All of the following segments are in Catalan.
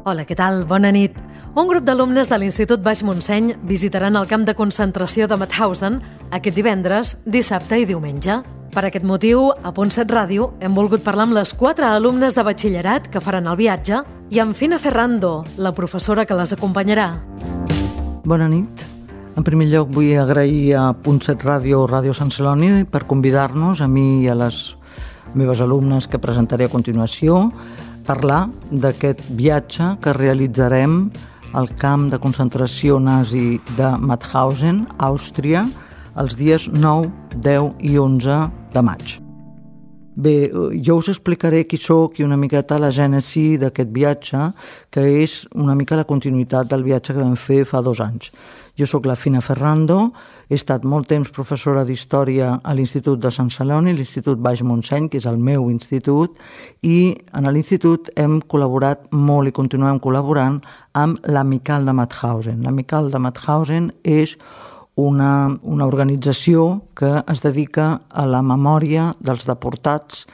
Hola, què tal? Bona nit. Un grup d'alumnes de l'Institut Baix Montseny visitaran el camp de concentració de Mauthausen aquest divendres, dissabte i diumenge. Per aquest motiu, a Punt 7 Ràdio hem volgut parlar amb les 4 alumnes de batxillerat que faran el viatge i amb Fina Ferrando, la professora que les acompanyarà. Bona nit. En primer lloc vull agrair a Punt 7 Ràdio, Ràdio Sant Celoni, per convidar-nos, a mi i a les meves alumnes que presentaré a continuació, parlar d'aquest viatge que realitzarem al camp de concentració nazi de Mauthausen, Àustria, els dies 9, 10 i 11 de maig. Bé, jo us explicaré qui sóc i una miqueta la gènesi d'aquest viatge, que és una mica la continuïtat del viatge que vam fer fa 2 anys. Jo sóc la Fina Ferrando, he estat molt temps professora d'Història a l'Institut de Sant Celoni, l'Institut Baix Montseny, que és el meu institut, i en l'institut hem col·laborat molt i continuem col·laborant amb l'Amical de Mauthausen. L'Amical de Mauthausen és una organització que es dedica a la memòria dels deportats,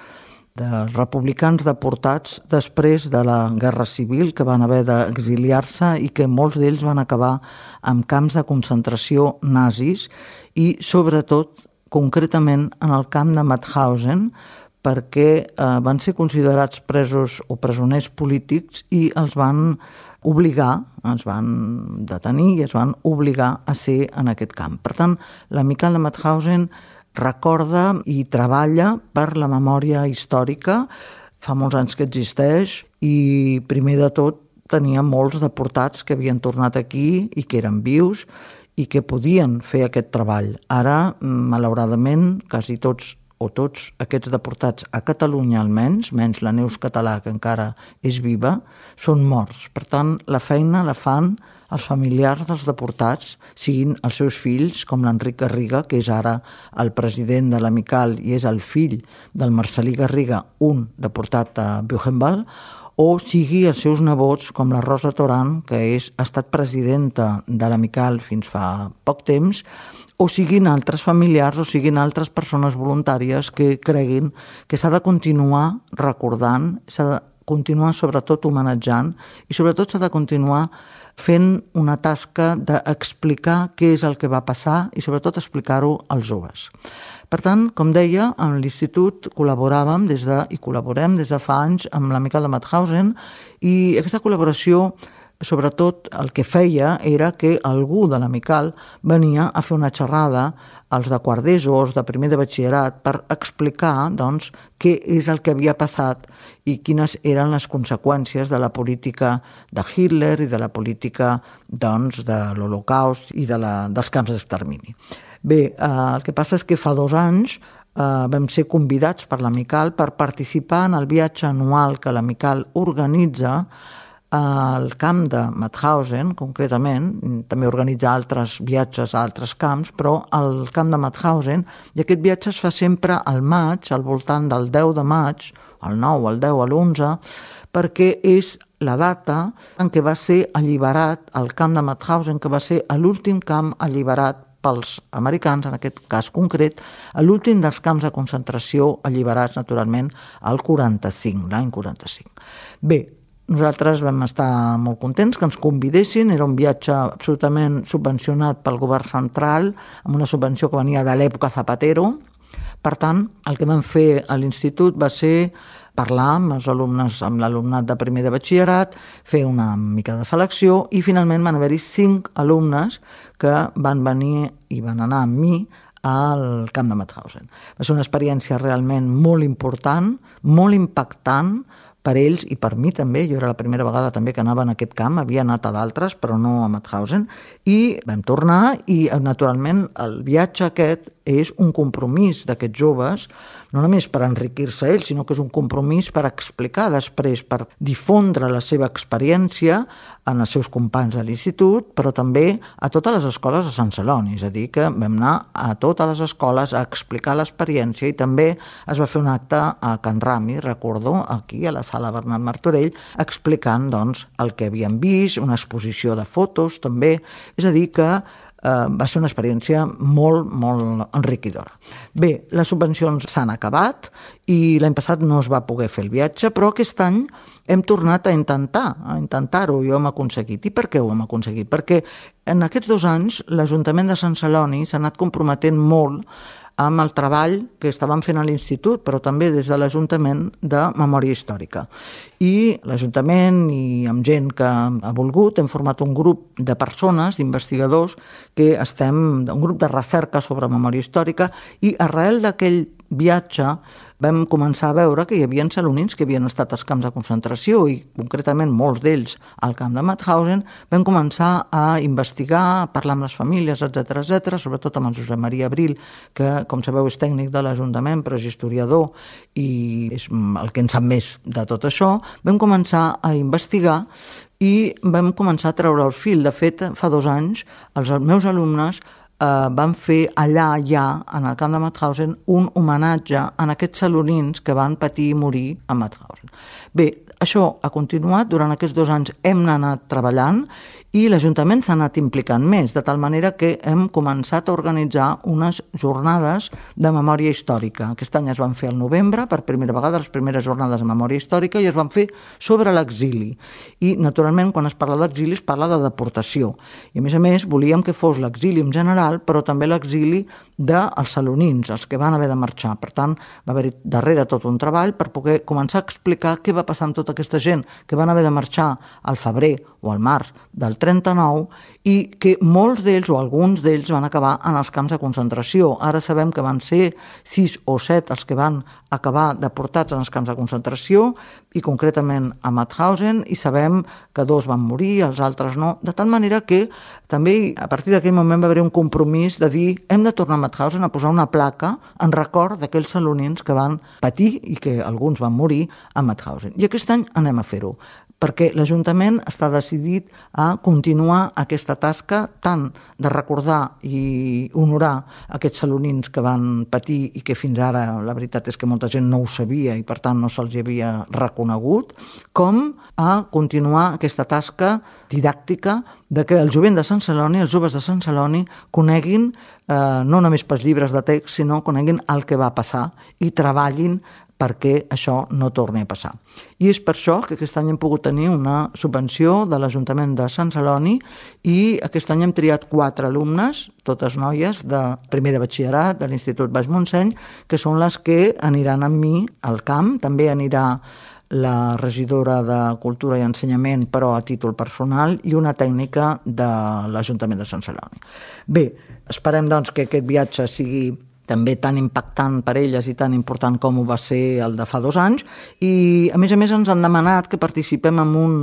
dels republicans deportats després de la Guerra Civil, que van haver d'exiliar-se i que molts d'ells van acabar en camps de concentració nazis i, sobretot, concretament en el camp de Mauthausen, perquè van ser considerats presos o presoners polítics i els van obligar, ens van detenir i es van obligar a ser en aquest camp. Per tant, l'Amical de Mauthausen recorda i treballa per la memòria històrica. Fa molts anys que existeix i, primer de tot, tenia molts deportats que havien tornat aquí i que eren vius i que podien fer aquest treball. Ara, malauradament, quasi tots aquests deportats a Catalunya almenys, menys la Neus Català, que encara és viva, són morts. Per tant, la feina la fan els familiars dels deportats, siguin els seus fills, com l'Enric Garriga, que és ara el president de l'Amical i és el fill del Marcelí Garriga, un deportat a Buchenwald, o sigui els seus nebots, com la Rosa Toran, que ha estat presidenta de l'Amical fins fa poc temps, o siguin altres familiars o siguin altres persones voluntàries que creguin que s'ha de continuar recordant, s'ha de continuar sobretot homenatjant i sobretot s'ha de continuar fent una tasca d'explicar què és el que va passar i sobretot explicar-ho als joves. Per tant, com deia, amb l'Institut col·laborem des de fa anys amb l'Amical de Mauthausen i aquesta col·laboració sobretot el que feia era que algú de l'Amical venia a fer una xerrada als de quart d'ESO, als de primer de batxillerat, per explicar doncs, què és el que havia passat i quines eren les conseqüències de la política de Hitler i de la política doncs, de l'Holocaust i dels camps d'extermini. Bé, el que passa és que fa 2 anys vam ser convidats per l'Amical per participar en el viatge anual que l'Amical organitza al camp de Mauthausen, concretament, també organitza altres viatges a altres camps, però al camp de Mauthausen, i aquest viatge es fa sempre al maig, al voltant del 10 de maig, el 9, el 10, l'11, perquè és la data en què va ser alliberat el camp de Mauthausen, que va ser l'últim camp alliberat pels americans, en aquest cas concret, l'últim dels camps de concentració alliberats, naturalment, l'any 45. Bé, nosaltres vam estar molt contents que ens convidessin, era un viatge absolutament subvencionat pel govern central, amb una subvenció que venia de l'època Zapatero. Per tant, el que vam fer a l'institut va ser parlar amb els alumnes, amb l'alumnat de primer de batxillerat, fer una mica de selecció i finalment van haver-hi 5 alumnes que van venir i van anar amb mi al camp de Mauthausen. Va ser una experiència realment molt important, molt impactant, per ells i per mi també. Jo era la primera vegada també que anava en aquest camp, havia anat a d'altres, però no a Mauthausen, i vam tornar i, naturalment, el viatge aquest és un compromís d'aquests joves, no només per enriquir-se ells, sinó que és un compromís per explicar després, per difondre la seva experiència en els seus companys de l'institut, però també a totes les escoles de Sant Celoni. És a dir, que vam anar a totes les escoles a explicar l'experiència i també es va fer un acte a Can Rami, recordo, aquí a la sala Bernat Martorell, explicant doncs, el que havíem vist, una exposició de fotos també. És a dir, que va ser una experiència molt, molt enriquidora. Bé, les subvencions s'han acabat i l'any passat no es va poder fer el viatge, però aquest any hem tornat a intentar-ho i ho hem aconseguit. I per què ho hem aconseguit? Perquè en aquests 2 anys l'Ajuntament de Sant Celoni s'ha anat comprometent molt amb el treball que estaven fent a l'Institut, però també des de l'Ajuntament de Memòria Històrica. I l'Ajuntament i amb gent que ha volgut hem format un grup de persones, d'investigadors, un grup de recerca sobre memòria històrica, i arrel d'aquell viatge vam començar a veure que hi havia salonins que havien estat als camps de concentració i concretament molts d'ells al camp de Mauthausen. Vam començar a investigar, a parlar amb les famílies, etc., sobretot amb el Josep Maria Abril, que, com sabeu, és tècnic de l'Ajuntament, però és historiador i és el que en sap més de tot això. Vam començar a investigar i vam començar a treure el fil. De fet, fa 2 anys, els meus alumnes van fer allà, en el camp de Mauthausen, un homenatge a aquests salonins que van patir i morir a Mauthausen. Bé, això ha continuat, durant aquests 2 anys hem anat treballant i l'Ajuntament s'ha anat implicant més, de tal manera que hem començat a organitzar unes jornades de memòria històrica. Aquest any es van fer al novembre, per primera vegada, les primeres jornades de memòria històrica, i es van fer sobre l'exili. I, naturalment, quan es parla d'exili es parla de deportació. I, a més, volíem que fos l'exili en general, però també l'exili dels salonins, els que van haver de marxar. Per tant, va haver-hi darrere tot un treball per poder començar a explicar què va passar amb tota aquesta gent que van haver de marxar al febrer o al març del 39 i que molts d'ells o alguns d'ells van acabar en els camps de concentració. Ara sabem que van ser 6 o 7 els que van acabar deportats en els camps de concentració i concretament a Mauthausen, i sabem que 2 van morir, els altres no, de tal manera que també a partir d'aquell moment va haver un compromís de dir hem de tornar a Mauthausen a posar una placa en record d'aquells salonins que van patir i que alguns van morir a Mauthausen. I aquest any anem a fer-ho, perquè l'Ajuntament està decidit a continuar aquesta tasca tant de recordar i honorar aquests salonins que van patir i que fins ara la veritat és que molta gent no ho sabia i per tant no se'ls havia reconegut, com a continuar aquesta tasca didàctica de que el jovent de Sant Celoni, els joves de Sant Celoni, coneguin no només pels llibres de text, sinó coneguin el que va passar i treballin perquè això no torni a passar. I és per això que aquest any hem pogut tenir una subvenció de l'Ajuntament de Sant Celoni i aquest any hem triat 4 alumnes, totes noies, de primer de batxillerat de l'Institut Baix Montseny, que són les que aniran amb mi al camp. També anirà la regidora de Cultura i Ensenyament, però a títol personal, i una tècnica de l'Ajuntament de Sant Celoni. Bé, esperem doncs que aquest viatge sigui també tan impactant per elles i tan important com ho va ser el de fa 2 anys, i a més ens han demanat que participem en un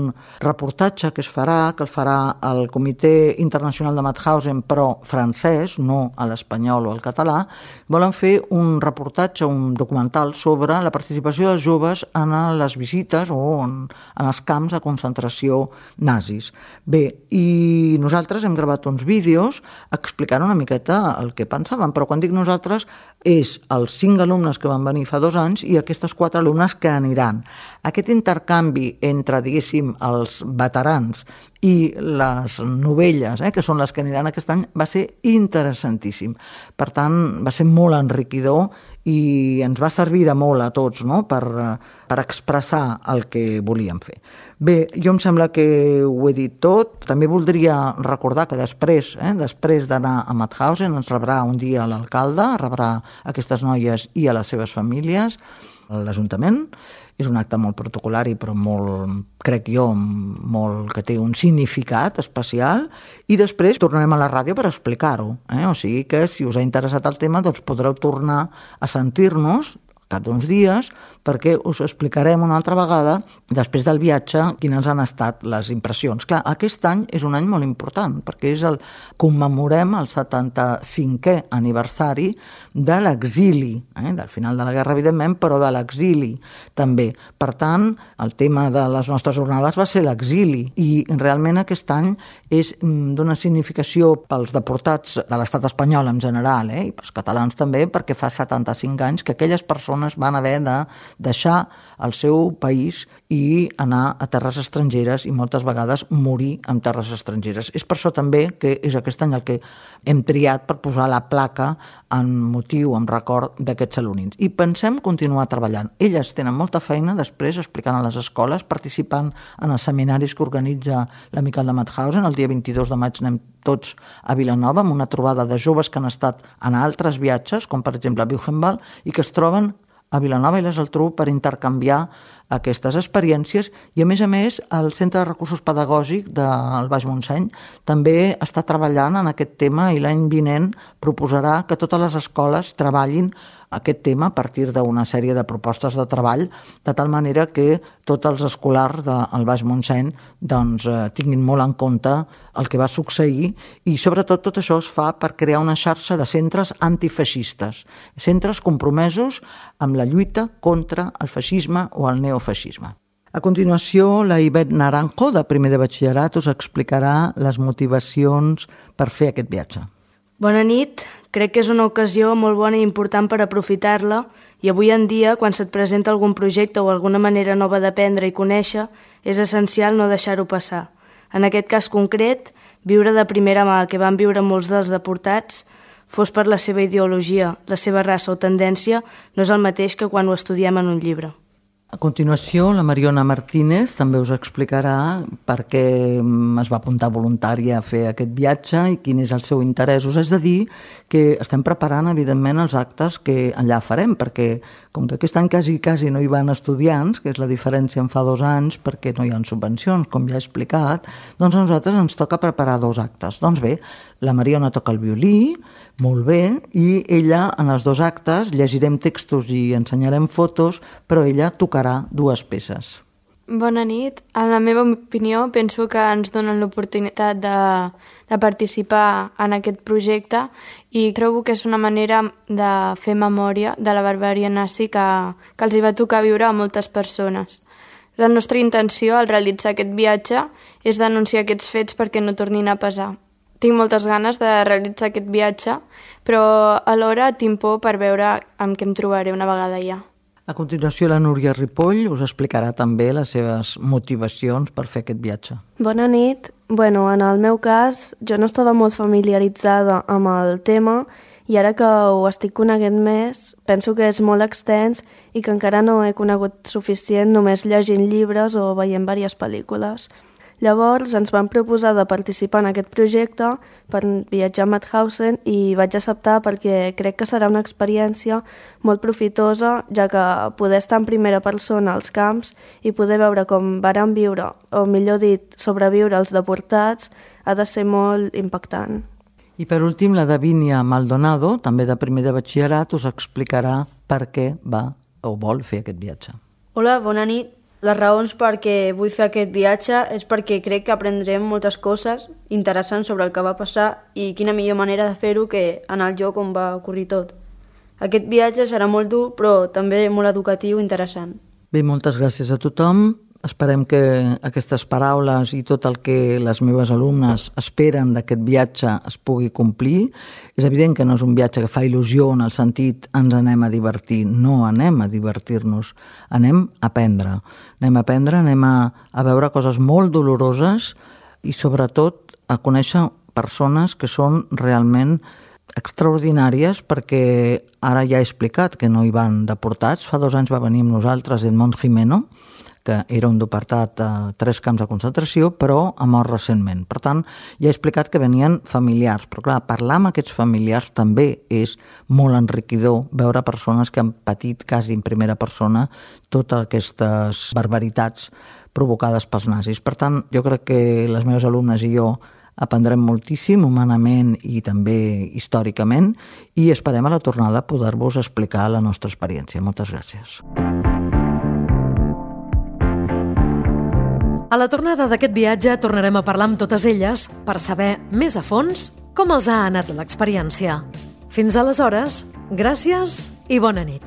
reportatge que es farà, que el farà el Comitè Internacional de Mauthausen, però francès, no a l'espanyol o al català. Volen fer un reportatge, un documental sobre la participació dels joves en les visites o en els camps de concentració nazis. Bé, i nosaltres hem gravat uns vídeos explicant una miqueta el que pensàvem, però quan dic nosaltres és els 5 alumnes que van venir fa 2 anys i aquestes 4 alumnes que aniran. Aquest intercanvi entre, diguéssim, els veterans i les novelles, que són les que aniran aquest any, va ser interessantíssim. Per tant, va ser molt enriquidor i ens va servir de molt a tots, no?, per expressar el que volíem fer. Bé, jo em sembla que ho he dit tot. També voldria recordar que després d'anar a Mauthausen ens rebrà un dia l'alcalde, rebrà aquestes noies i a les seves famílies, l'Ajuntament. És un acte molt protocolari, però molt, crec jo, que té un significat especial, i després tornarem a la ràdio per explicar-ho. O sigui que si us ha interessat el tema, doncs podreu tornar a sentir-nos cap d'uns dies, perquè us explicarem una altra vegada, després del viatge, quines han estat les impressions. Clar, aquest any és un any molt important, perquè commemorem el 75è aniversari de l'exili, del final de la guerra, evidentment, però de l'exili també. Per tant, el tema de les nostres jornades va ser l'exili, i realment aquest any és d'una significació pels deportats de l'estat espanyol en general, i pels catalans també, perquè fa 75 anys que aquelles persones persones van haver de deixar el seu país i anar a terres estrangeres i moltes vegades morir en terres estrangeres. És per això també que és aquest any el que hem triat per posar la placa en motiu, en record d'aquests salonins. I pensem continuar treballant. Elles tenen molta feina després explicant a les escoles, participant en els seminaris que organitza l'Amical de Mauthausen. El dia 22 de maig anem tots a Vilanova amb una trobada de joves que han estat en altres viatges, com per exemple a Buchenwald, i que es troben a Vilanova i la Geltrú per intercanviar aquestes experiències i, a més, el Centre de Recursos Pedagògics del Baix Montseny també està treballant en aquest tema i l'any vinent proposarà que totes les escoles treballin aquest tema a partir d'una sèrie de propostes de treball, de tal manera que tots els escolars del Baix Montseny tinguin molt en compte el que va succeir i, sobretot, tot això es fa per crear una xarxa de centres antifeixistes, centres compromesos amb la lluita contra el feixisme o el neofeixisme. A continuació, la Ivet Naranjo, de primer de batxillerat, us explicarà les motivacions per fer aquest viatge. Bona nit. Crec que és una ocasió molt bona i important per aprofitar-la i avui en dia, quan se't presenta algun projecte o alguna manera nova d'aprendre i conèixer, és essencial no deixar-ho passar. En aquest cas concret, viure de primera mà el que van viure molts dels deportats, fos per la seva ideologia, la seva raça o tendència, no és el mateix que quan ho estudiem en un llibre. A continuació, la Mariona Martínez també us explicarà per què es va apuntar voluntària a fer aquest viatge i quin és el seu interès. Us haig de dir que estem preparant, evidentment, els actes que allà farem, perquè com que aquest any quasi no hi van estudiants, que és la diferència en fa 2 anys, perquè no hi ha subvencions, com ja he explicat, doncs a nosaltres ens toca preparar 2 actes. Doncs bé, la Mariona toca el violí, molt bé, i ella en els 2 actes llegirem textos i ensenyarem fotos, però ella tocarà 2 peces. Bona nit. En la meva opinió, penso que ens donen l'oportunitat de participar en aquest projecte i trobo que és una manera de fer memòria de la barbàrie nazi que els hi va tocar viure a moltes persones. La nostra intenció al realitzar aquest viatge és denunciar aquests fets perquè no tornin a passar. Tinc moltes ganes de realitzar aquest viatge, però alhora tinc por per veure amb què em trobaré una vegada allà. A continuació, la Núria Ripoll us explicarà també les seves motivacions per fer aquest viatge. Bona nit. En el meu cas, jo no estava molt familiaritzada amb el tema i ara que ho estic coneguent més, penso que és molt extens i que encara no he conegut suficient només llegint llibres o veient diverses pel·lícules. Llavors ens van proposar de participar en aquest projecte per viatjar a Mauthausen i vaig acceptar perquè crec que serà una experiència molt profitosa, ja que poder estar en primera persona als camps i poder veure com varen viure, o millor dit, sobreviure els deportats, ha de ser molt impactant. I per últim, la Davínia Maldonado, també de primer de batxillerat, us explicarà per què va o vol fer aquest viatge. Hola, bona nit. Les raons perquè vull fer aquest viatge és perquè crec que aprendrem moltes coses interessants sobre el que va passar i quina millor manera de fer-ho que en el lloc on va ocorrir tot. Aquest viatge serà molt dur, però també molt educatiu i interessant. Bé, moltes gràcies a tothom. Esperem que aquestes paraules i tot el que les meves alumnes esperen d'aquest viatge es pugui complir. És evident que no és un viatge que fa il·lusió en el sentit ens anem a divertir. No anem a divertir-nos, anem a aprendre. Anem a veure coses molt doloroses i sobretot a conèixer persones que són realment extraordinàries, perquè ara ja he explicat que no hi van deportats. Fa 2 anys va venir amb nosaltres Edmond Jimeno, que era un deportat a 3 camps de concentració, però ha mort recentment. Per tant, ja he explicat que venien familiars, però clar, parlar amb aquests familiars també és molt enriquidor, veure persones que han patit quasi en primera persona totes aquestes barbaritats provocades pels nazis. Per tant, jo crec que les meves alumnes i jo aprendrem moltíssim humanament i també històricament i esperem a la tornada poder-vos explicar la nostra experiència. Moltes gràcies. A la tornada d'aquest viatge tornarem a parlar amb totes elles per saber més a fons com els ha anat l'experiència. Fins aleshores, gràcies i bona nit.